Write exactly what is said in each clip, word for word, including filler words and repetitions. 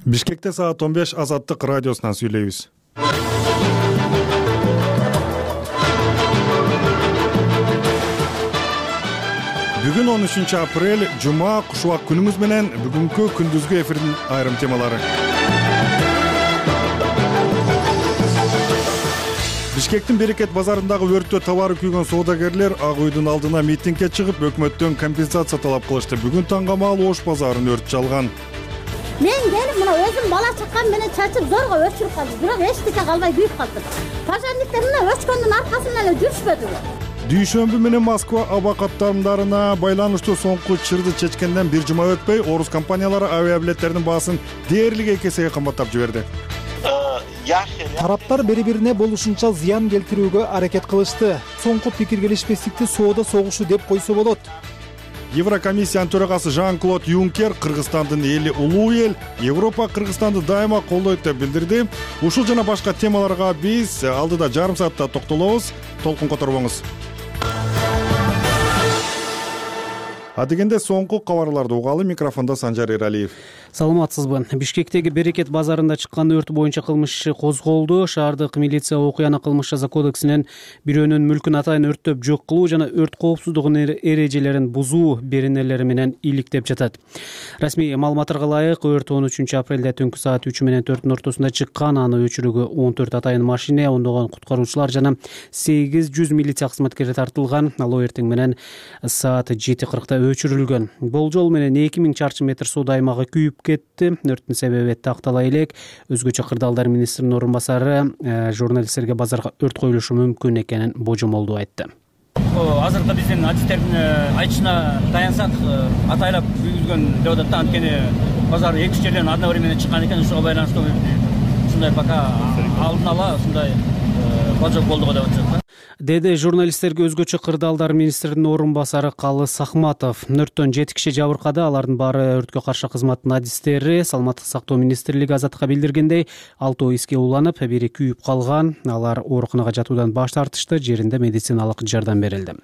Бишкекте саат он беш Азаттык радиосунан сүйлөйбүз. Бүгүн он үчүнчү апрель, жума, кушубак күнүңүз менен бүгүнкү күндүзгү эфирдин айрым темалары. Бишкектин Берекет базарындагы өрттө табары күйгөн соодагерлер Ак үйдүн алдына митингге чыгып, өкмөттөн компенсация талап кылышты. Бүгүн таңгамал Ош базарын өрт жалган. Мен келип мына өзүм бала чакам менен чачып зорго өчүрүп калдым. Бирок эчтеке калбай күйүп калдым. Пожарниктер мына өчкөндүн аркасынан эле жүрүшпөдү. Дүйшөмбү менен Москва аба каттамдарына байланыштуу соңку чырды чечкенден бир жума өтпөй, орус компаниялары авиабилеттердин баасын дээрлик эки эсеге кымбаттап жиберди. Тараптар бири-бирине болушунча зыян келтирүүгө аракет кылышты. Соңку пикир келишпестикти соода согушу деп койсо болот. Еврокомиссиянын төрагасы Жан-Клод Юнкер Кыргызстандын эли улуу эл, Европа Кыргызстанды дайыма колдойт деп билдирди. Ушул жана башка темаларга биз алдыда жарым саатта токтолобуз. Толкун которбоңуз. Адегенде соңку кабарларды угалы. Микрофондо Санжар Эралиев. Саламатсызбы? Бишкектеги Берекет базарында чыккан өрт боюнча кылмыш иши козголду. Шаардык милиция окуяны кылмыш жаза кодексинен бирөөнүн мүлкүн атайын өрттөп жок кылуу жана өрт коопсуздугунун эрежелерин бузуу беренелери менен иликтеп жатат. Расмий маалыматтарга ылайык, өрт он үчүнчү апрелде түнкү саат үч менен төрттүн ортосунда чыккан. Аны өчүрүүгө он төрт атайын машина, ондогон куткаруучулар жана сегиз жүз милиция кызматкери тартылган. Ал эртең менен саат жети кыркта өчүрүлгөн. Болжол менен эки миң чарчы метр соода аймагы күйүп кетти. Өрттүн себеби тактала элек. Өзгөчө кырдаалдар министринин орун басары журналисттерге базарга өрт коюлушу мүмкүн экенин божомолдоо айтты. Азыркы биздин адистердин айтышына таянсак, атайлап күйгүзгөн деп атат да, анткени базар эки үч жерден одновременно чыккан экен, ушуга байланыштуу ушундай пока алдын ала ушундай божок болду деп атышат. Деди журналисттерге өзгөчө кырдаалдар министринин орун басары Калы Сахматов. Өрттөн жети киши жабыркады. Алардын баары өрткө каршы кызматтын адистери. Саламаттык сактоо министрлиги Азаттыкка билдиргендей, алтоо эске уланып, бири күйүп калган. Алар ооруканага жатуудан баш тартышты. Жеринде медициналык жардам берилди.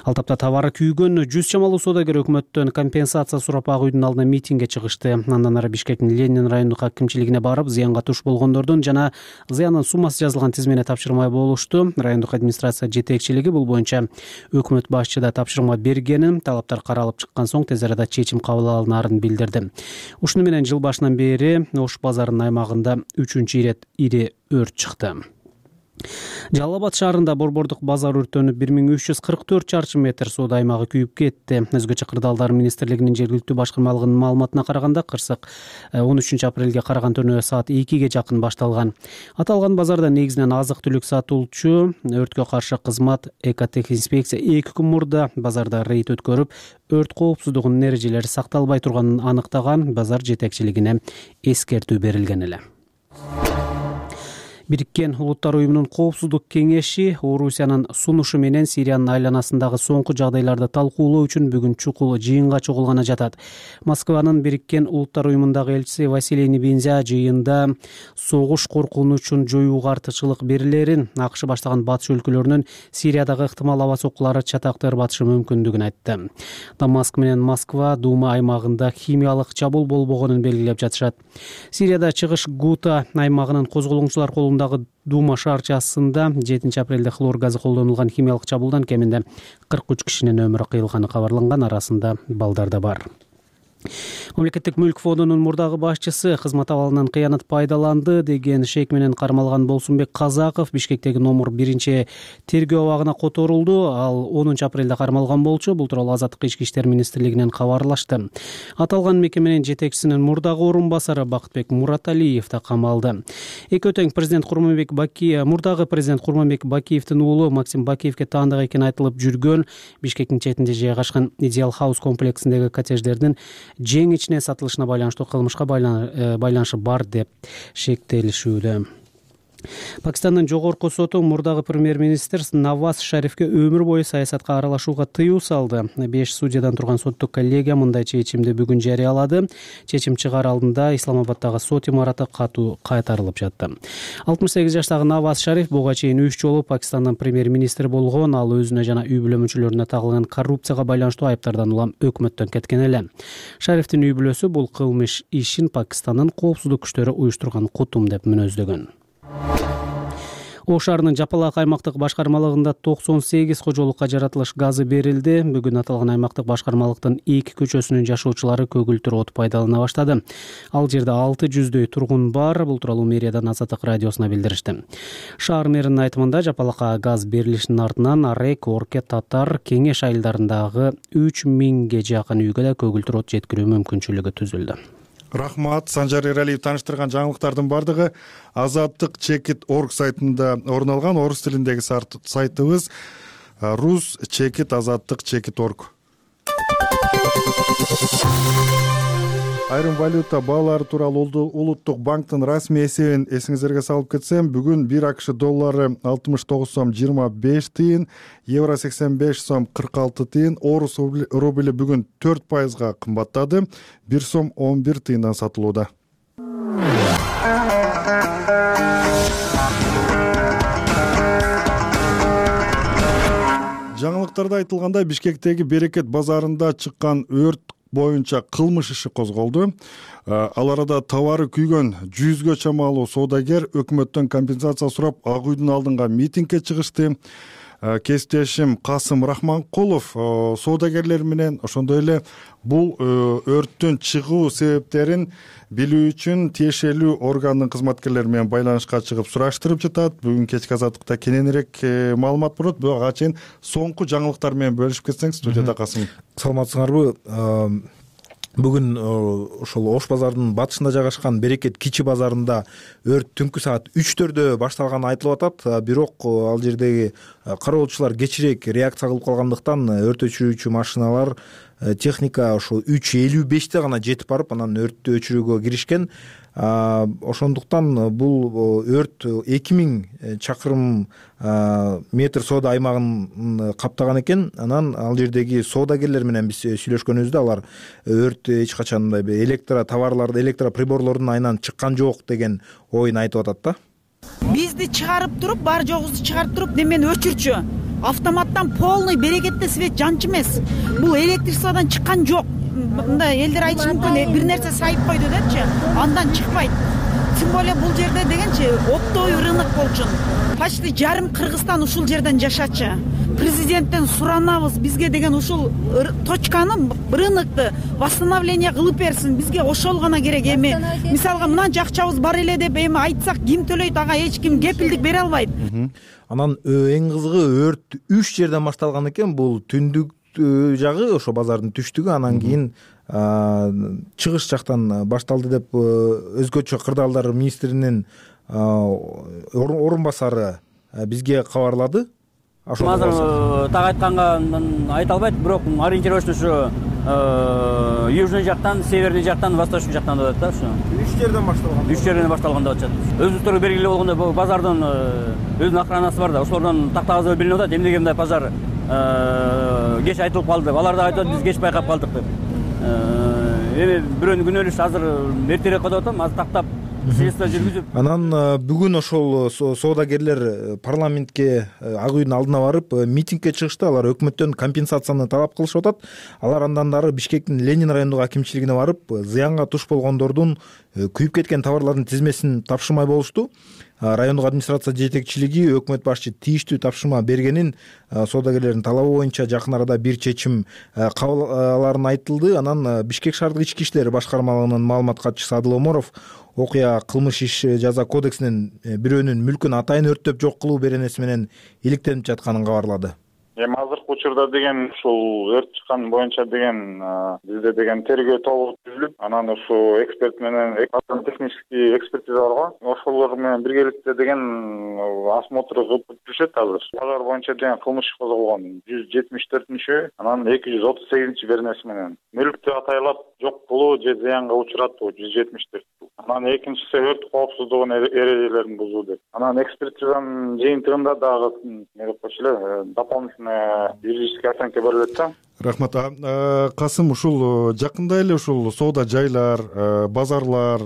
Ал тапта табары күйгөн жүз чамалуу соодагер өкмөттөн компенсация сурап Ак үйдүн алдына митингге чыгышты. Андан ары Бишкектин Ленин райондук акимчилигине барып, зыянга туш болгондордун жана зыяндын суммасы жазылган тизмени тапшырмай болушту. Райондук администрация жетекчилиги бул боюнча өкмөт башчы да тапшырма бергенин, талаптар каралып чыккан соң тез арада чечим кабыл алынарын билдирди. Ушуну менен жыл башынан бери Ош базарынын аймагында үчүнчү ирет ири өрт чыкты. Жалал Абад шаарында борбордук базар өрттөнүп бир миң үч жүз кырк төрт чарчы метр соода аймагы күйүп кетти. Өзгөчө кырдаалдар министрлигинин жергиликтүү башкармалыгынын маалыматына караганда, кырсык он үчүнчү апрелге караган түнү саат экиге жакын башталган. Аталган базарда негизинен азык-түлүк сатылчу. Өрткө каршы кызмат экотехинспекция эки күн мурда базарда рейд өткөрүп, өрт коопсуздугунун эрежелери сакталбай турганын аныктаган. Базар жетекчилигине эскертүү берилген эле. Бириккен Улуттар уюмунун коопсуздук кеңеши Орусиянын сунушу менен Сириянын айланасындагы соңку жагдайларды талкуулоо үчүн бүгүн чукул жыйынга чогулганы жатат. Москванын Бириккен Улуттар уюмундагы элчиси Василий Небензя жыйында согуш коркунучун жоюуга артыкчылык берилерин, АКШ баштаган батыш өлкөлөрүнүн Сириядагы ыктымал аба соккулары чатакты ырбатышы мүмкүндүгүн айтты. Дамаск менен Москва Дума аймагында химиялык чабуул болбогонун белгилеп жатышат. Сирияда чыгыш Гута аймагынын козголоңчулар колунда Дума шаарчасында жетинчи апрелде хлор газы колдонулган химиялык чабуулдан кеминде кырк үч кишинин өмүрү кыйылганы кабарланган, арасында балдар да бар. Мамлекеттик мүлк фондунун мурдагы башчысы кызмат абалынан кыянат пайдаланды деген шек менен кармалган Болсунбек Казаков Бишкектеги номер биринчи тергөө абагына которулду. Ал онунчу апрелде кармалган болчу. Бул тууралуу Азаттык ички иштер министрлигинен кабарлашты. Аталган мекеменин жетекчисинин мурдагы орун басары Бакытбек Мураталиев да камалды. Эки өтөң президент Курманбек Бакиев, мурдагы президент Курманбек Бакиевдин уулу Максим Бакиевге таандык экени айтылып жүргөн Бишкектин четинде жайгашкан Идеал Хаус комплексиндеги коттедждердин жең ичине сатылышына байланыштуу кылмышка байланышы бар деп шектелишүүдө. Пакистандын жогорку соту мурдагы премьер-министр Наваз Шарифке өмүр бою саясатка аралашууга тыюу салды. Беш судьядан турган соттук коллегия мындай чечимди бүгүн жарыялады. Чечим чыгаар алдында Исламабаддагы сот имараты катуу кайтарылып жатты. алтымыш сегиз жаштагы Наваз Шариф буга чейин үч жолу Пакистандын премьер-министри болгон. Ал өзүнө жана үй бүлө мүчөлөрүнө тагылган коррупцияга байланыштуу айыптардан улам өкмөттөн кеткен эле. Шарифтин үй бүлөсү бул кылмыш ишин Пакистандын коопсуздук күчтөрү уюштурган кутум деп мүнөздөгөн. Ош шаарынын Жапалак аймактык башкармалыгында токсон сегиз кожолукка жаратылыш газы берилди. Бүгүн аталган аймактык башкармалыктын эки көчөсүнүн жашоочулары көгүлтүр от пайдалана баштады. Ал жерде алты жүздөй тургун бар. Бул тууралуу мэриядан Азаттык радиосуна билдиришти. Шаар мэринин айтымында Жапалакка газ берилишинин артынан Арек, Орке, Татар, Кеңеш айылдарындагы үч миңге жакын үйгө да көгүлтүр от жеткирүү мүмкүнчүлүгү түзүлдү. Рахмат. Санжар Эралиев таныштырган жаңылыктардын бардыгы азаттык чекит точка орг сайтында орун алган. Орус тилиндеги сайтыбыз рус чекит азаттык чекит точка орг. Айрым валюта баалары тууралуу Улуттук банктын расмий эсебин эсиңиздерге салып кетсем, бүгүн бир АКШ доллары алтымыш тогуз сом жыйырма беш тыйын, евро сексен беш сом кырк алты тыйын, орус рубли бүгүн төрт пайызга кымбаттады, бир сом он бир тыйындан сатылууда. Жаңылыктарда айтылгандай, Бишкектеги Берекет базарында чыккан өрт боюнча кылмыш иши козголду. Ал арада товары күйгөн жүзгө чамалуу соодагер өкмөттөн компенсация сурап Ак үйдүн алдынга митингге чыгышты. Кесиптешим Касым Рахманкулов соодагерлер менен ошондой эле бул өрттүн чыгуу себептерин билүү үчүн тиешелүү органдын кызматкерлери менен байланышка чыгып сураштырып жатат. Бүгүн кечки азаттыкта кененирээк маалымат болот. Бирок ага чейин соңку жаңылыктар менен бөлүшүп кетсең, студияда Касым. Саламатсыңарбы? Бүгүн ошол Ош базарынын батышында жайгашкан Берекет кичи базарында өрт түнкү саат үчтөрдө башталганы айтылып атат. Бирок ал жердеги кароолчулар кечирээк реакция кылып калгандыктан өрт өчүрүүчү машиналар, техника ошо үч элүү беште гана жетип барып, анан өрттү өчүрүүгө киришкен. Ошондуктан бул өрт эки миң чакырым метр соода аймагын каптаган экен. Анан ал жердеги соодагерлер менен биз сүйлөшкөнүбүздө алар өрт эч качан мындай электро товарларды, электроприборлордун айынан чыккан жок деген оюн айтып атат да. Бизди чыгарып туруп, бар жогубузду чыгарып туруп, немени өчүрчү. Автоматтан полный Берекетте свет жанчу эмес. Бул электричестводон чыккан жок. Мындай элдер айтышы мүмкүн, бир нерсе сайып койду депчи, андан чыкпайт. Тем более бул жерде дегенчи оптовый рынок болчу. Почти жарым Кыргызстан ушул жерден жашачы. Президенттен суранабыз, бизге деген ушул точканы, рынокты восстановление кылып берсин. Бизге ошол гана керек. Эми мисалга мынанча акчабыз бар эле деп эми айтсак, ким төлөйт, ага эч ким кепилдик бере албайт. Анан эң кызыгы өрт үч жерден башталган экен. Бул түндүк жагы, ошо базардын түштүгү, анан кийин чыгыш жактан башталды деп өзгөчө кырдаалдар министринин орун басары бизге кабарлады. Азыр так айтканга айта албайт, бирок ориентировочно ушу южный жактан, северный жактан, восточный жактан деп атат да, ушу. үч жерден башталган. үч жерден башталган деп атышат. Өзүбүздөргө белгилүү болгондой, бул базардын өзүнүн охранасы бар да, ошолордон тактагазы билинип атат. Эмнеге мындай базар кеч айтылып калды деп. Алар да айтат, биз кеч байкап калдык деп. Эми бирөөнүн күнөөлүшү азыр эртерээк коюп атам, азыр тактап следствие жүргүзүп. Анан бүгүн ошол соодагерлер парламентке, Ак үйдүн алдына барып митингге чыгышты. Алар өкмөттөн компенсацияны талап кылышып атат. Алар андан дары Бишкектин Ленин райондук акимчилигине барып, зыянга туш болгондордун күйүп кеткен товарлардын тизмесин тапшырмай болушту. Райондук администрация жетекчилиги өкмөт башчы тийиштүү тапшырма бергенин, соодагерлердин талабы боюнча жакын арада бир чечим кабыл аларын айтылды. Анан Бишкек шаардык ички иштер башкармалыгынын маалымат катчысы Адыл Оморов окуя кылмыш иш жаза кодексинин бирөөнүн мүлкүн атайын өрттөп жок кылуу беренеси менен иликтенип жатканын кабарлады. Эми азыркы учурда деген ушул өрт чыккан боюнча деген бизде деген тергөө тобу түзүлүп, анан ушу эксперт менен технический экспертиза бар го, ошолор менен биргеликте деген осмотр кылып жүрүшөт азыр. Базар боюнча деген кылмыш козголгон жүз жетимиш төртүнчү, анан эки жүз отуз сегизинчи беренеси менен мүлктү атайлап жок кылуу же зыянга учуратуу жүз жетимиш төрт. анан экинчиси өрт коопсуздугунун эрежелерин бузуу деп. Анан экспертизанын жыйынтыгында дагы эмне деп койчу эле дополнительная юридическая оценка берилет да. Рахмат. Касым, ушул жакында эле ушул соода жайлар, базарлар,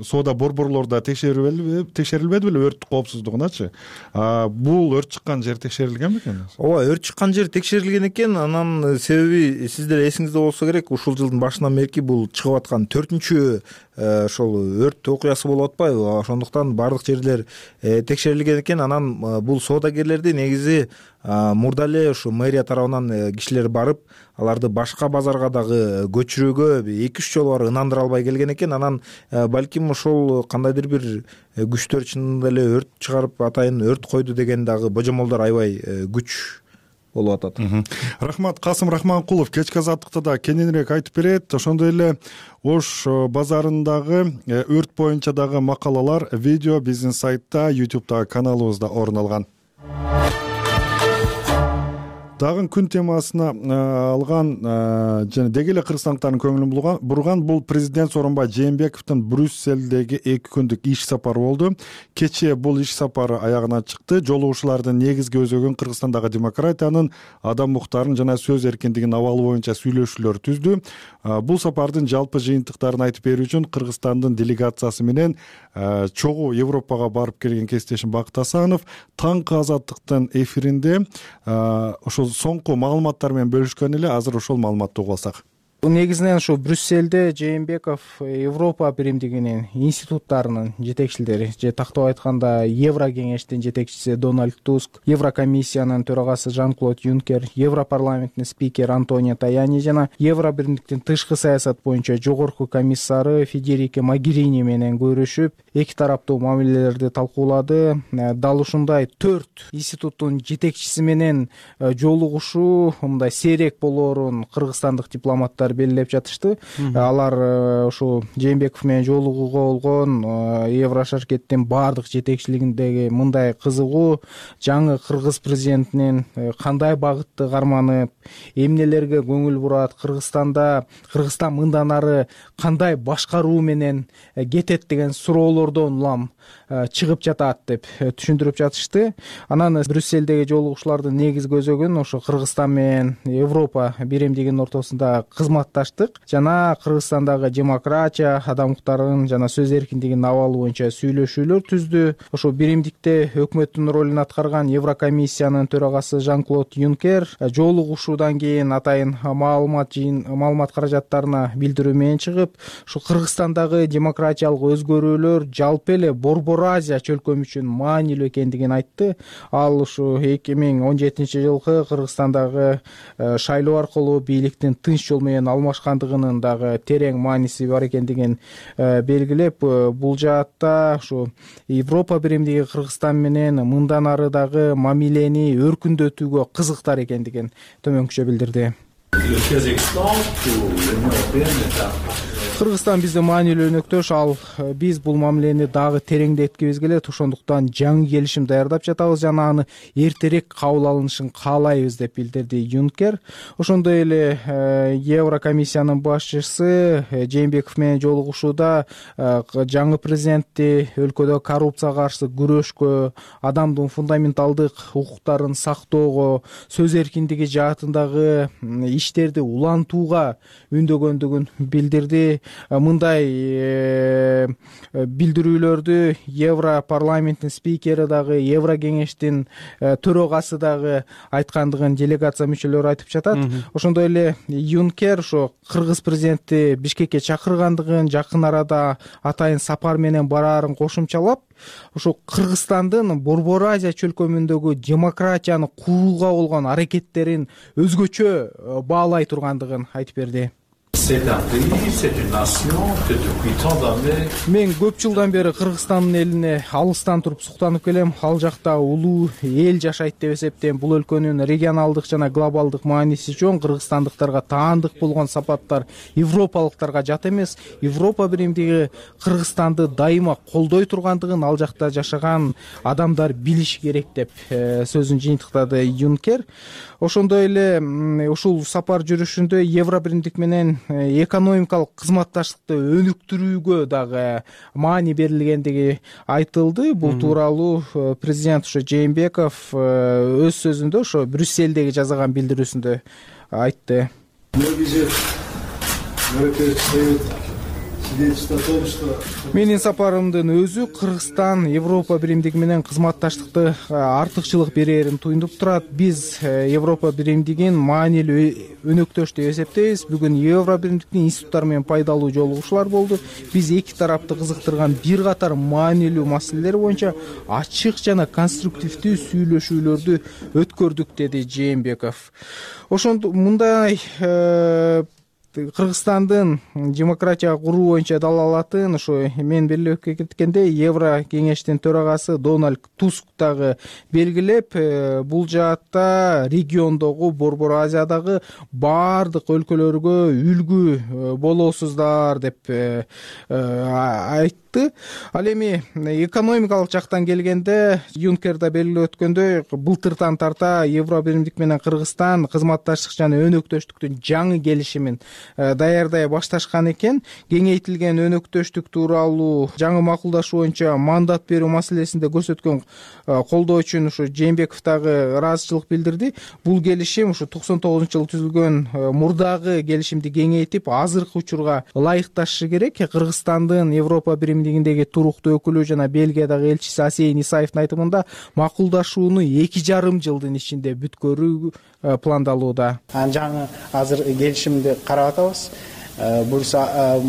соода борборлордо текшерилбеди беле өрт коопсуздугуначы? Бул өрт чыккан жер текшерилген бекен? Ооба, өрт чыккан жер текшерилген экен. Анан себеби сиздер эсиңизде болсо керек, ушул жылдын башынан бери бул чыгып аткан төртүнчү ошол өрт окуясы болуп атпайбы? Ошондуктан баардык жерлер текшерилген экен. Анан бул соодагерлерди негизи мурда эле ушу мэрия тарабынан кишилер барып, аларды башка базарга дагы көчүрүүгө эки үч жолу барып ынандыра албай келген экен. Анан балким ошол кандайдыр бир күчтөр чынында эле өрт чыгарып атайын өрт койду деген дагы божомолдор аябай күч болуп атат. Рахмат. Касым Рахманкулов кечки азаттыкта да кененирээк айтып берет. Ошондой эле Ош базарындагы өрт боюнча дагы макалалар, видео биздин сайтта, ютубтагы каналыбызда орун алган. Дагы күн темасына алган жана деги эле кыргызстандыктардын көңүлүн бурган бул президент Сооронбай Жээнбековдун Брюсселдеги эки күндүк иш сапары болду. Кечээ бул иш сапары аягына чыкты. Жолугушуулардын негизги өзөгүн Кыргызстандагы демократиянын, адам укуктарын жана сөз эркиндигинин абалы боюнча сүйлөшүүлөр түздү. Бул сапардын жалпы жыйынтыктарын айтып берүү үчүн Кыргызстандын делегациясы менен чогуу Европага барып келген кесиптешим Бакыт Асанов таңкы азаттыктын эфиринде ошол соңку маалыматтар менен бөлүшкөн эле. Азыр ошол маалыматты угуп алсак. Негизинен ушу Брюсселде Жээнбеков Европа биримдигинин институттарынын жетекчилери, же тактап айтканда Евро кеңештин жетекчиси Дональд Туск, Еврокомиссиянын төрагасы Жан-Клод Юнкер, Европарламенттин спикери Антонио Таяни жана Евро биримдиктин тышкы саясат боюнча жогорку комиссары Федерике Могерини менен көрүшүп, эки тараптуу мамилелерди талкуулады. Дал ушундай төрт институттун жетекчиси менен жолугушуу мындай сейрек болоорун кыргызстандык дипломаттар белгилеп жатышты. Алар ушу Жээнбеков менен жолугууга болгон Еврошаркеттин баардык жетекчилигиндеги мындай кызыгуу, жаңы кыргыз президентинин кандай багытты карманып, эмнелерге көңүл бурат, Кыргызстанда Кыргызстан мындан ары кандай башкаруу менен кетет деген суроолордон улам чыгып жатат деп түшүндүрүп жатышты. Анан Брюсселдеги жолугушуулардын негизги өзөгүн ошо Кыргызстан менен Европа биримдигинин ортосунда кызматташтык жана Кыргызстандагы демократия, адам укуктарын жана сөз эркиндигинин абалы боюнча сүйлөшүүлөр түздү. Ошо биримдикте өкмөттүн ролун аткарган Еврокомиссиянын төрагасы Жан-Клод Юнкер жолугушуудан кийин атайын маалымат жыйын маалымат каражаттарына билдирүү менен чыгып, ушу Кыргызстандагы демократиялык өзгөрүүлөр жалпы эле Борбор Азия чөлкөмү үчүн маанилүү экендигин айтты. Ал ушу эки миң он жетинчи жылкы Кыргызстандагы шайлоо аркылуу бийликтин тынч жол менен алмашкандыгынын дагы терең мааниси бар экендигин белгилеп, бул жаатта ушу Европа биримдиги Кыргызстан менен мындан ары дагы мамилени өркүндөтүүгө кызыктар экендигин төмөнкүчө билдирди. Кыргызстан биздин маанилүү өнөктөш, ал биз бул мамилени дагы тереңдеткибиз келет. Ошондуктан жаңы келишим даярдап жатабыз жана аны эртерээк кабыл алынышын каалайбыз деп билдирди Юнкер. Ошондой эле Еврокомиссиянын башчысы Жээнбеков менен жолугушууда жаңы президентти өлкөдө коррупцияга каршы күрөшкө, адамдын фундаменталдык укуктарын сактоого, сөз эркиндиги жаатындагы иштерди улантууга үндөгөндүгүн билдирди. Мындай билдирүүлөрдү Европарламенттин спикери дагы, Евро кеңештин төрагасы дагы айткандыгын делегация мүчөлөрү айтып жатат. Ошондой эле Юнкер ошо кыргыз президенти Бишкекке чакыргандыгын, жакын арада атайын сапар менен бараарын кошумчалап, ошо Кыргызстандын Борбор Азия чөлкөмүндөгү демократияны курууга болгон аракеттерин өзгөчө баалай тургандыгын айтып берди. Мен көп жылдан бери Кыргызстандын элине алыстан туруп суктанып келем. Ал жакта улуу эл жашайт деп эсептейм. Бул өлкөнүн регионалдык жана глобалдык мааниси чоң. Кыргызстандыктарга таандык болгон сапаттар европалыктарга жат эмес. Европа биримдиги Кыргызстанды дайыма колдой тургандыгын ал жакта жашаган адамдар билиши керек деп сөзүн жыйынтыктады Юнкер. Ошондой эле ушул сапар жүрүшүндө Евро биримдик менен экономикалык кызматташтыкты өнүктүрүүгө дагы маани берилгендиги айтылды. Бул тууралуу президент ошо Жээнбеков өз сөзүндө ошо Брюссельдеги жасаган билдирүүсүндө айтты. Менин сапарымдын өзү Кыргызстан Европа биримдиги менен кызматташтыкты артыкчылык берерин туюнуп турат. Биз Европа биримдигин маанилүү өнөктөш деп эсептейбиз. Бүгүн Европа биримдиктин институттары менен пайдалуу жолугушуулар болду. Биз эки тарапты кызыктырган бир катар маанилүү маселелер боюнча ачык жана конструктивдүү сүйлөшүүлөрдү өткөрдүк, деди Жээнбеков. Ошондо мындай Кыргызстандын демократия куруу боюнча далалатын ошо мен белгилеп кеткендей Евро кеңештин төрагасы Дональд Туск дагы белгилеп, бул жаатта региондогу Борбор Азиядагы баардык өлкөлөргө үлгү болосуздар деп айтты. Ал эми экономикалык жактан келгенде Юнкер да белгилеп өткөндөй, былтыртан тарта Евро биримдик менен Кыргызстан кызматташтык жана өнөктөштүктүн жаңы келишимин даярдай башташкан экен. Кеңейтилген өнөктөштүк тууралуу жаңы макулдашуу боюнча мандат берүү маселесинде көрсөткөн колдоо үчүн ушу Жээнбеков дагы ыраазычылык билдирди. Бул келишим ушу токсон тогузунчу жылы түзүлгөн мурдагы келишимди кеңейтип, азыркы учурга ылайыкташы керек. Кыргызстандын Европа биримдигиндеги туруктуу өкүлү жана Бельгиядагы элчиси Асейин Исаевдин айтымында макулдашууну эки жарым жылдын ичинде бүткөрүү пландалууда. Жаңы азыр келишимди карап атабыз. Буюрса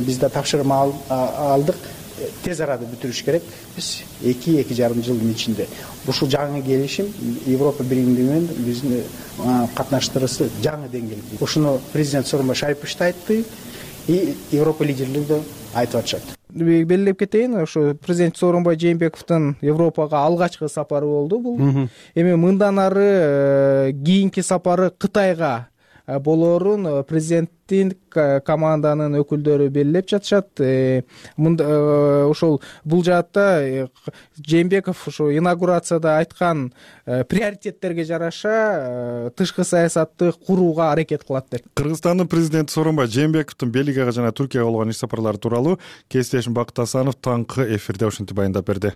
бизде тапшырма алдык. Тез арада бүтүрүш керек. Биз эки эки жарым жылдын ичинде ушул жаңы келишим Европа биримдиги менен биздин катнаштырысы жаңы деңгээлде. Ушуну президент Сооронбай Шарипович да айтты, и Европа лидерлери да айтып атышат. Белгилеп кетейин, ошо президент Сооронбай Жээнбековдун Европага алгачкы сапары болду бул. Эми мындан ары кийинки сапары Кытайга болоорун президенттин команданын өкүлдөрү белгилеп жатышат. Ошол бул жаатта Жээнбеков ошо инаугурацияда айткан приоритеттерге жараша тышкы саясатты курууга аракет кылат деп. Кыргызстандын президенти Сооронбай Жээнбековдун Бельгияга жана Түркияга болгон иш сапарлары тууралуу кесиптешим Бакыт Асанов таңкы эфирде ушинтип баяндап берди.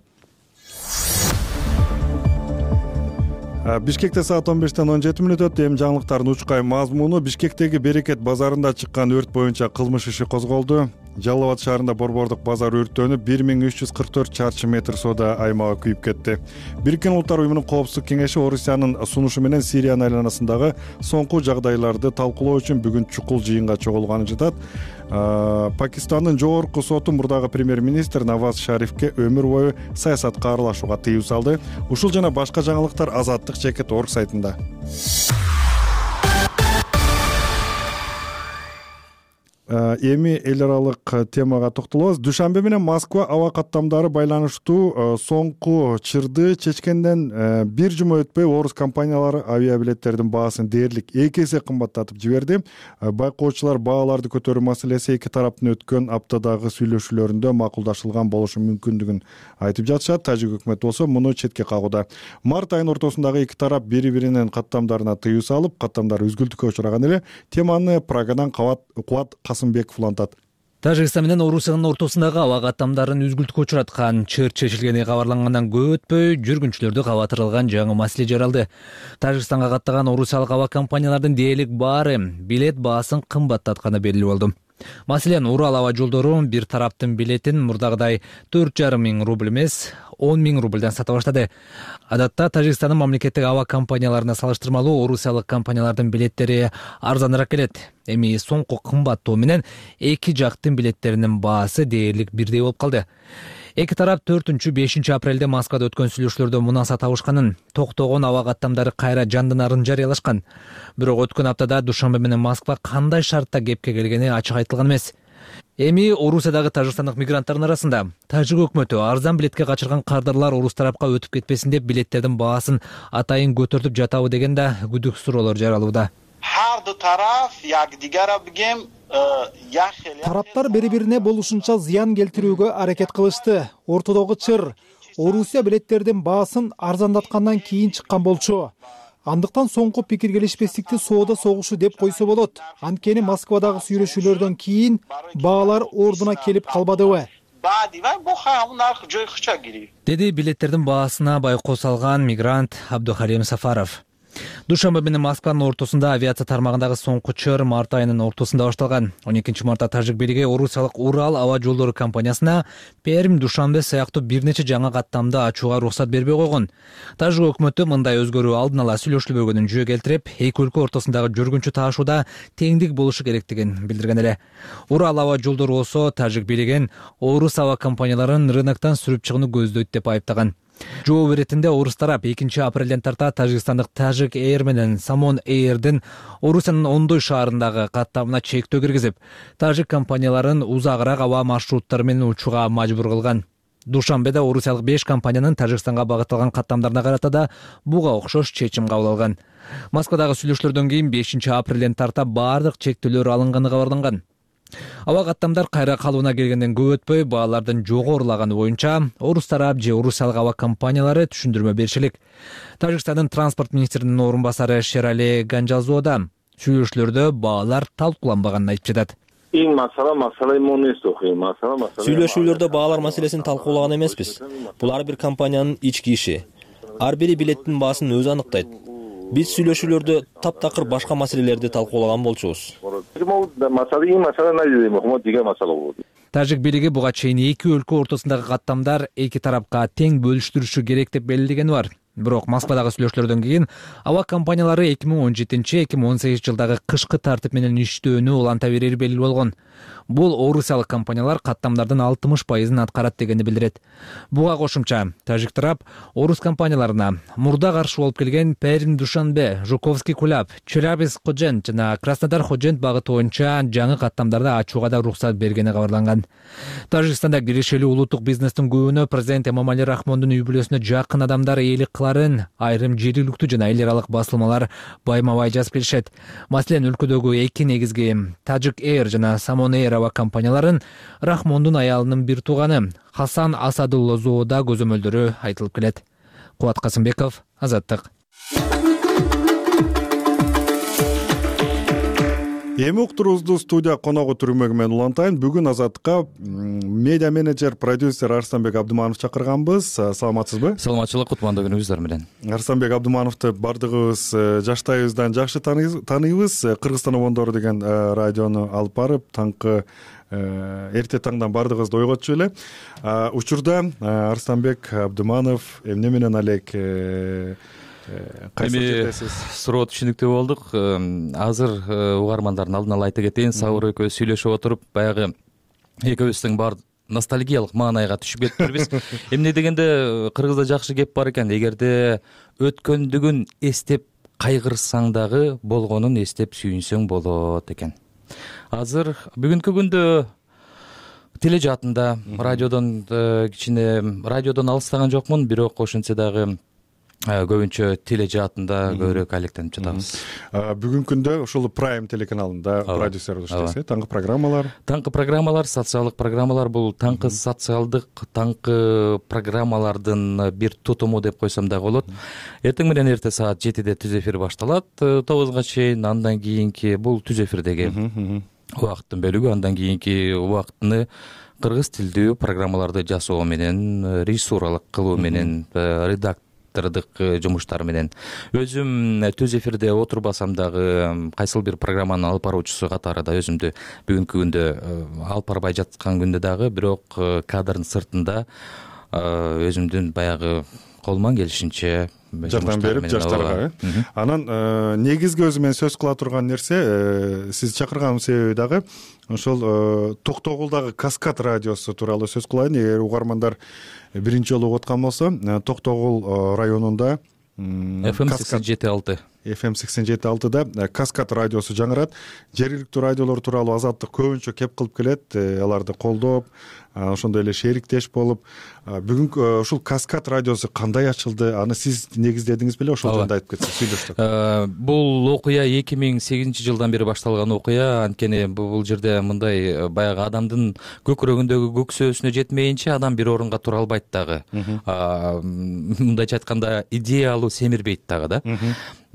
Бишкекте саат он бештен он жети мүнөт өттү. Эми жаңылыктардын учкай мазмуну: Бишкектеги Берекет базарында чыккан өрт боюнча кылмыш иши козголду. Жалал Абад шаарында борбордук базар өрттөнүп, бир миң үч жүз кырк төрт чарчы метр соода аймагы күйүп кетти. Бириккен Улуттар уюмунун коопсуздук кеңеши Орусиянын сунушу менен Сириянын айланасындагы соңку жагдайларды талкуулоо үчүн бүгүн чукул жыйынга чогулганын жатат. Пакистандын жогорку соту мурдагы премьер-министр Наваз Шарифке өмүр бою саясатка аралашууга тыюу салды. Ушул жана башка жаңылыктар Азаттык Чекит орг сайтында. Эми эл аралык темага токтолобуз. Душанбе менен Москва аба каттамдары байланыштуу соңку чырды чечкенден бир жума өтпөй орус компаниялары авиабилеттердин баасын дээрлик эки эсе кымбаттатып жиберди. Байкоочулар бааларды көтөрүү маселеси эки тараптын өткөн аптадагы сүйлөшүүлөрүндө макулдашылган болушу мүмкүндүгүн айтып жатышат. Тажик өкмөтү болсо муну четке кагууда. Март айынын ортосундагы эки тарап бири-биринин каттамдарына тыюу салып, каттамдар үзгүлтүккө учураган эле. Теманы Прагадан Кубат Касымбеков улантат. Тажикстан менен Орусиянын ортосундагы аба каттамдарын үзгүлтүккө учураткан чыр чечилгени кабарлангандан көп өтпөй жүргүнчүлөрдү кабатырылган жаңы маселе жаралды. Тажикстанга каттаган орусиялык аба компаниялардын дээрлик баары билет баасын кымбаттатканы белгилүү болду. Маселен, Урал аба жолдору бир тараптын билетин мурдагыдай төрт жарым миң рубль эмес, он миң рубльдан сата баштады. Адатта Тажикстандын мамлекеттик аба компанияларына салыштырмалуу орусиялык компаниялардын билеттери арзаныраак келет. Эми соңку кымбаттоо менен эки жактын билеттеринин баасы дээрлик бирдей болуп калды. Эки тарап төртүнчү бешинчи апрелде Москвада өткөн сүйлөшүүлөрдө мунаса табышканын, токтогон аба каттамдары кайра жандынарын жарыялашкан. Бирок өткөн аптада Душанбе менен Москва кандай шартта кепке келгени ачык айтылган эмес. Эми Орусиядагы тажикстандык мигранттардын арасында тажик өкмөтү арзан билетке качырган кардарлар орус тарапка өтүп кетпесин деп билеттердин баасын атайын көтөртүп жатабы деген да күдүк суроолор жаралууда. Тараптар бири-бирине болушунча зыян келтирүүгө аракет кылышты. Ортодогу чыр Орусия билеттердин баасын арзандаткандан кийин чыккан болчу. Андыктан соңку пикир келишпестикти соода согушу деп койсо болот. Анткени Москвадагы сүйлөшүүлөрдөн кийин баалар ордуна келип калбадыбы? Деди билеттердин баасына байкоо салган мигрант Абдухалим Сафаров. Душанбе менен Москванын ортосунда авиация тармагындагы соңку чор март айынын ортосунда башталган. он экинчи мартта тажик бийлиги Орусиялык Урал аба жолдору компаниясына Пермь, Душанбе сыяктуу бир нече жаңы каттамды ачууга уруксат бербей койгон. Тажик өкмөтү мындай өзгөрүү алдын ала сүйлөшүлбөгөнүн жөө келтирип, эки өлкө ортосундагы жүргүнчү таашууда теңдик болушу керектигин билдирген эле. Урал аба жолдору болсо тажик бийлигин орус аба компанияларын рыноктон сүрүп чыгууну көздөйт деп айыптаган. Жооп беретинде орус тарап экинчи апрелден тарта Тажикстандык Tajik Air менен Samon Air'дин Орусиянын ондой шаарындагы каттамына чектөө киргизип, тажик компанияларын узагыраак аба маршруттары менен учууга мажбур кылган. Душанбеде орусиялык беш компаниянын Тажикстанга багытталган каттамдарына карата да буга окшош чечим кабыл алган. Москвадагы сүйлөшүүлөрдөн кийин бешинчи апрелден тарта баардык чектөөлөр алынганы кабарланган. Аба каттамдар кайра калыбына келгенден көп өтпөй баалардын жогорулаганы боюнча орус тарап же орусиялык аба компаниялары түшүндүрмө беришилик. Тажикстандын транспорт министринин орун басары Шерали Ганжалзода сүйлөшүүлөрдө баалар талкууланбаганын айтып жатат. Сүйлөшүүлөрдө баалар маселесин талкуулаган эмеспиз. Бул ар бир компаниянын ички иши. Ар бири билеттин баасын өзү аныктайт. Биз сүйлөшүүлөрдө таптакыр башка маселелерди талкуулаган болчубуз. Тажик бийлиги буга чейин эки өлкө ортосундагы каттамдар эки тарапка тең бөлүштүрүшү керек деп белгилегени бар. Бирок Москвадагы сүйлөшүүлөрдөн кийин аба компаниялары эки миң он жетинчи эки миң он сегизинчи жылдагы кышкы тартип менен иштөөнү уланта берери белгилүү болгон. Бул орусиялык компаниялар каттамдардын алтымыш пайызын аткарат дегенди билдирет. Буга кошумча тажик тарап орус компанияларына мурда каршы болуп келген Пермь, Душанбе, Жуковский Кулап, Челябинск Ходжент жана Краснодар Ходжент багыты боюнча жаңы каттамдарды ачууга да уруксат бергени кабарланган. Тажикстанда киришелүү улуттук бизнестин көбүнө президент Эмомали Рахмондун үй бүлөсүнө жакын адамдар ээлик кыларын айрым жергиликтүү жана эл аралык басылмалар байма-бай жазып келишет. Маселен, өлкөдөгү эки негизги Tajik Air жана Samon Air аба компанияларын Рахмондун аялынын бир тууганы Хасан Асадуллозоодо көзөмөлдөрү айтылып келет. Кубат Касымбеков, Азаттык. Эми уктуруубузду студия коногу түрмөгү менен улантайын. Бүгүн Азаттыкка медиа менеджер, продюсер Арстанбек Абдыманов чакырганбыз. Саламатсызбы? Саламатчылык, кутмандуу күнүңүздөр менен. Арстанбек Абдымановду бардыгыбыз жаштайыбыздан жакшы тааныйбыз. Кыргызстан обондору деген радиону алып барып, таңкы эрте таңдан бардыгыбызды ойготчу эле. Учурда Арстанбек Абдыманов эмне менен алек? Эми суроо түшүнүктүү болдук. Азыр угармандардын алдына ала айта кетейин, Сабыр экөөбүз сүйлөшүп отуруп, баягы экөөбүздүн бар ностальгиялык маанайга түшүп кетиптирбиз. Эмне дегенде кыргызда жакшы кеп бар экен. Эгерде өткөндүгүн эстеп кайгырсаң дагы болгонун эстеп сүйүнсөң болот экен. Азыр бүгүнкү күндө тележаатында радиодон кичине радиодон алыстаган жокмун, бирок ошентсе дагы көбүнчө тележаатында көбүрөөк алектенип жатабыз. Бүгүнкү күндө ушул Prime телеканалында продюсер болуп иштейсиз. Таңкы программалар. Таңкы программалар, социалдык программалар. Бул таңкы социалдык, таңкы программалардын бир тутуму деп койсом дагы болот. Эртең менен эрте саат жетиде түз эфир башталат, тогузга чейин. Андан кийинки бул түз эфирдеги убакыттын бөлүгү. Андан кийинки убакытны кыргыз тилдүү программаларды жасоо менен, режиссуралык кылуу менен, редактор жумуштар менен. Өзүм түз эфирде отурбасам дагы кайсыл бир программанын алып баруучусу катары да өзүмдү бүгүнкү күндө алып барбай жаткан күндө дагы, бирок кадрдын сыртында өзүмдүн баягы колуман келишинче жардам берип жаштарга. Анан негизги өзү менен сөз кыла турган нерсе, сиз чакырганымдын себеби дагы ошол Токтогулдагы Каскад радиосу тууралуу сөз кылайын. Эгер угармандар биринчи жолу угуткан болсо, Токтогул районунда эф эм сексен жети алты эф эм сексен жети алтыда Каскад радиосу жаңырат. Жергиликтүү радиолор тууралуу Азаттык көбүнчө кеп кылып келет, аларды колдоп, ошондой эле шериктеш болуп. Бүгүн ушул Каскад радиосу кандай ачылды? Аны сиз негиздедиңиз беле? Ошол жөнүндө айтып кетсеңиз, сүйлөштүк. Бул окуя эки миң сегизинчи жылдан бери башталган окуя. Анткени бул жерде мындай баягы адамдын көкүрөгүндөгү көксөөсүнө жетмейинче адам бир орунга тура албайт дагы. Мындайча айтканда идеялуу семирбейт дагы да.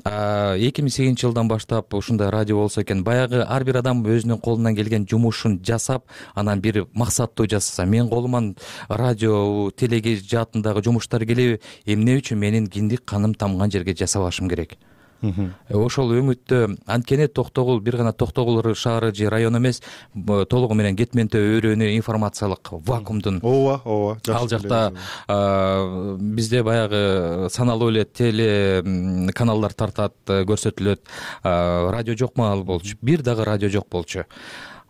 эки миң сегизинчи жылдан баштап ушундай радио болсо экен. Баягы ар бир адам өзүнүн колунан келген жумушун жасап, анан бир максаттуу жасаса, менин колуман радио, телеге жаатындагы жумуштар келеби, эмне үчүн менин киндик каным тамган жерге жасабашым керек? Ошол үмүттө анткени Токтогул бир гана Токтогул шаары же район эмес, толугу менен Кетменте өрөөнү информациялык вакуумдун. Ооба, ооба. Ал жакта бизде баягы саналуу эле теле каналдар тартат, көрсөтүлөт. Радио жок маал болчу. Бир дагы радио жок болчу.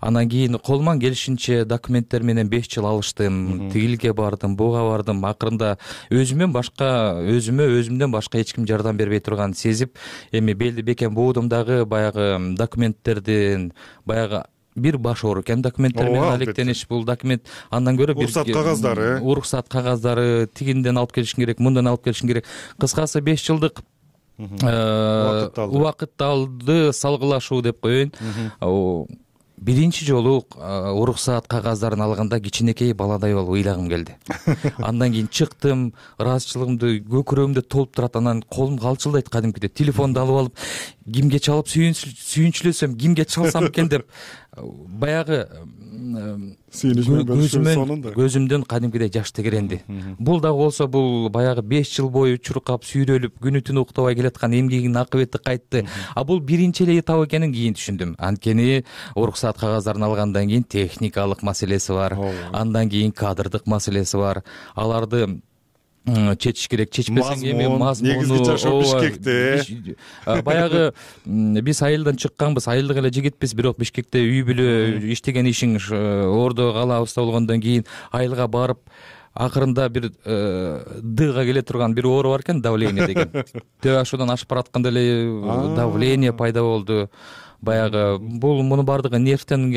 Анан кийин колуман келишинче документтер менен беш жыл алыштым, тигилге бардым, буга бардым. Акырында өзүмөн башка, өзүмө өзүмдөн башка эч ким жардам бербей турганын сезип, эми белди бекем буудум дагы баягы документтердин, баягы бир баш оор экен документтер менен алектениш. Бул документ андан көрө бир уруксат кагаздары, уруксат кагаздары тигинден алып келишиң керек, мындан алып келишиң керек. Кыскасы беш жылдык убакыт алды салгылашуу деп коеюн. Биринчи жолу уруксаат кагаздарын алганда кичинекей баладай болуп ыйлагым келди. Андан кийин чыктым, ыраазычылыгымды көкүрөгүмдө толуп турат, анан колум калчылдайт кадимкидей. Телефонду алып алып, кимге чалып сүйүнчүлөсөм, кимге чалсам экен деп баягы көзүмдөн кадимкидей жаш тегеренди. Бул дагы болсо, бул баягы беш жыл бою чуркап, сүйрөлүп, күнү түнү уктабай келаткан эмгегинин акыбети кайтты. А бул биринчи эле этап экенин кийин түшүндүм. Анткени уруксаат кагаздарын алгандан кийин техникалык маселеси бар, андан кийин кадрдык маселеси бар. Аларды чечиш керек, чечпесең эми мазмуну, негизги жашоо Бишкекте. Баягы биз айылдан чыкканбыз, айылдык эле жигитпиз, бирок Бишкекте үй бүлө, иштеген ишиң ордо калабыз болгондон кийин айылга барып, акырында бир дыга келе турган бир оору бар экен, давление деген. Төбө ашуудан ашып баратканда эле давление пайда болду. Баягы бул муну бардыгы нервтен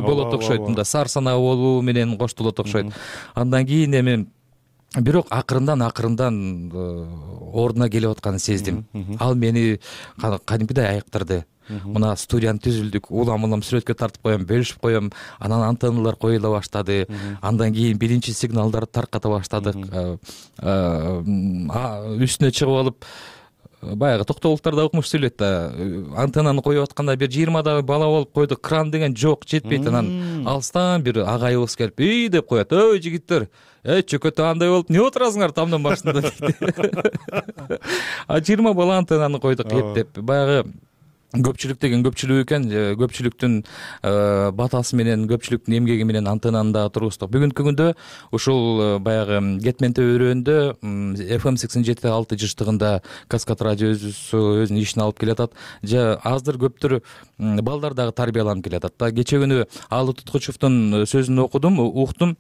болот окшойт, мында сарсанаа болуу менен коштолот окшойт. Андан кийин эми бирок акырындан акырындан ордуна келип атканын сездим. Ал мени кадимкидей айыктырды. Мына студияны түзүлдүк, улам улам сүрөткө тартып коем, бөлүшүп коем, анан антенналар коюла баштады. Андан кийин биринчи сигналдарды тарката баштадык. Үстүнө чыгып алып, баягы Токтогулдуктар да укмуш сүйлөйт да, антеннаны коюп атканда бир жыйырмадагы бала болуп койду, кран деген жок, жетпейт. Анан алыстан бир агайыбыз келип, "Үй" деп коет. "Ой, жигиттер, эй, чөкөтө андай болуп, эмне отурасыңар тамдын башында?" дейт. А жыйырма бала антеннаны койдук эптеп. Баягы көпчүлүк деген көпчүлүк экен, көпчүлүктүн батасы менен, көпчүлүктүн эмгеги менен антеннаны дагы тургуздук. Бүгүнкү күндө ушул баягы Кетменте өрөөнүндө эф эм сексен жети алты жыштыгында Каскад радиосу өзүнүн ишин алып келатат. Же аздыр көптүр балдар дагы тарбияланып келатат да. Кече күнү Алы Туткучевдун сөзүн окудум, уктум.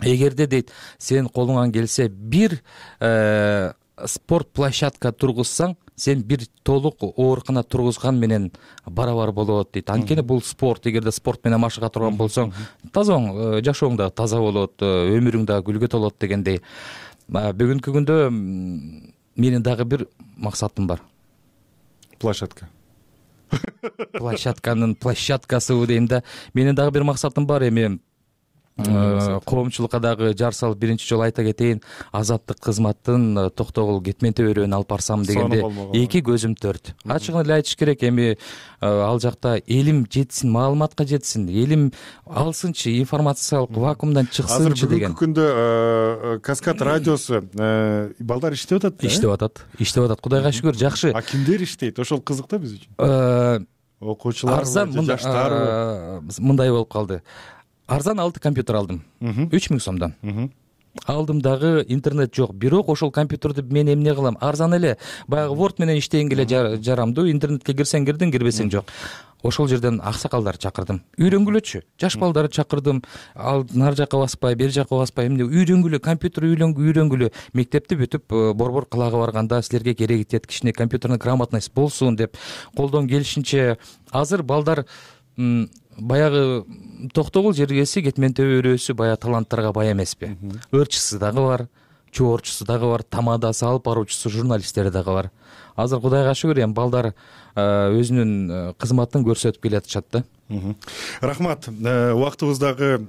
Эгерде дейт, сен колуңан келсе бир спорт площадка тургузсаң, сен бир толук оорукана тургузган менен барабар болот дейт. Анткени бул спорт, эгерде спорт менен машыга турган болсоң, таза жашооң да таза болот, өмүрүң да гүлгө толот дегендей. Бүгүнкү күндө менин дагы бир максатым бар. Площадка. Площадканын площадкасы дейм да. Менин дагы бир максатым бар. Эми коомчулукка дагы жар салып биринчи жолу айта кетейин, азаттык кызматтын Токтогул Кетменте өрөөнүн алып барсам дегенде эки көзүм төрт. Ачыгын эле айтыш керек, эми ал жакта элим жетсин, маалыматка жетсин, элим алсынчы, информациялык вакуумдан чыксынчы деген. Азыр бүгүнкү күндө Каскад радиосу балдар иштеп атат да? Иштеп атат, иштеп атат. Кудайга шүгүр, жакшы. А кимдер иштейт? Ошол кызык да биз үчүн. Окуучулар, жаштар мындай болуп калды. Арзан алты компьютер алдым. үч миң сомдон. Алдым дагы, интернет жок. Бирок ошол компьютерди мен эмне кылам? Арзан эле. Баягы Word менен иштегенге эле жарамдуу. Интернетке кирсең кирдиң, кирбесең жок. Ошол жерден аксакалдарды чакырдым. Үйрөнгүлөчү. Жаш балдарды чакырдым. Ал нар жака баспай, бери жака баспай, эмне үйрөнгүлө, компьютер үйрөнгүлө. Мектепти бүтүп, борбор кылагы барганда силерге кереги тиет, кичине компьютерный грамотность болсун деп колдон келишинче. Азыр балдар баягы Токтогул жергеси, Кетменте өрөөсү баягы таланттарга бай эмеспи? Ырчысы дагы бар, чоорчусу дагы бар, тамадасы, алып баруучусу, журналисттери дагы бар. Азыр Кудайга шүгүр, эми балдар өзүнүн кызматын көрсөтүп келатышат да. Рахмат. Убактыбыз дагы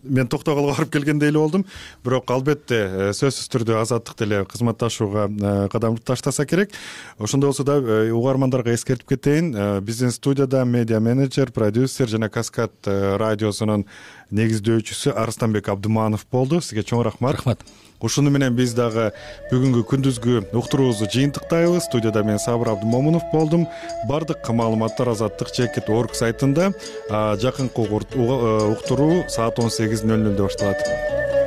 мен токтогулга барып келгендей эле болдум, бирок албетте сөзсүз түрдө азаттык деле кызматташууга кадам таштаса керек. Ошондой болсо да угармандарга эскертип кетейин, биздин студияда медиа менеджер, продюсер жана Каскад радиосунун негиздөөчүсү Арыстанбек Абдыманов болду. Сизге чоң рахмат. Рахмат. Ушуну менен биз дагы бүгүнкү күндүзгү уктуруубузду жыйынтыктайбыз. Студияда мен Сабыр Абдымомунов болдум. Бардык маалыматтар азаттык чекит орг сайтында. Жакынкы уктуруу саат он сегиз нөл нөлдө башталат.